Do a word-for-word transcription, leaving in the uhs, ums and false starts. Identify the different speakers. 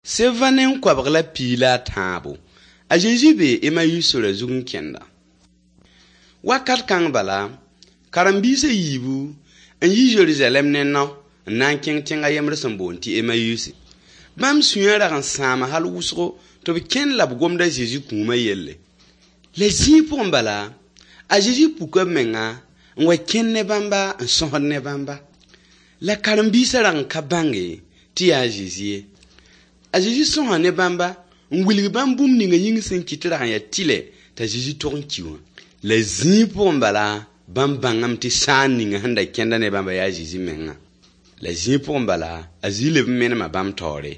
Speaker 1: Sevã ne n koabg la piig la a tãabo. A Zezi bee Emayus sora zug n kẽnda. Wakat kãng bala, karen-biis a yiibu n yi Zerizalɛɛm ne nao n na n kẽng tẽng a yembr sẽn boond tɩ Emayusi. Bãmb sũyã rag n sãama hal wʋsgo tɩ b kẽnd la b gomd a Zezi kũumã yelle. La zĩig pʋgẽ bala, a Zezi puka b menga n wa kẽnd ne bãmba n sõsd ne bãmba. La karen-biisã rag n ka bãnge tɩ yaa a Zezi ye. A Zezi sõsa ne bãmba n wilg bãmb bũmb ninga yĩng sẽn kɩt rag n yaa tɩlɛ t'a Zezi tog n ki wã. La zĩig pʋgẽ bala, bãmb bãngame tɩ sãan ninga sẽn da kẽnda ne bãmba yaa a Zezi menga. La zĩig pʋgẽ bala, a Zezi leb n menema bãmb taoore.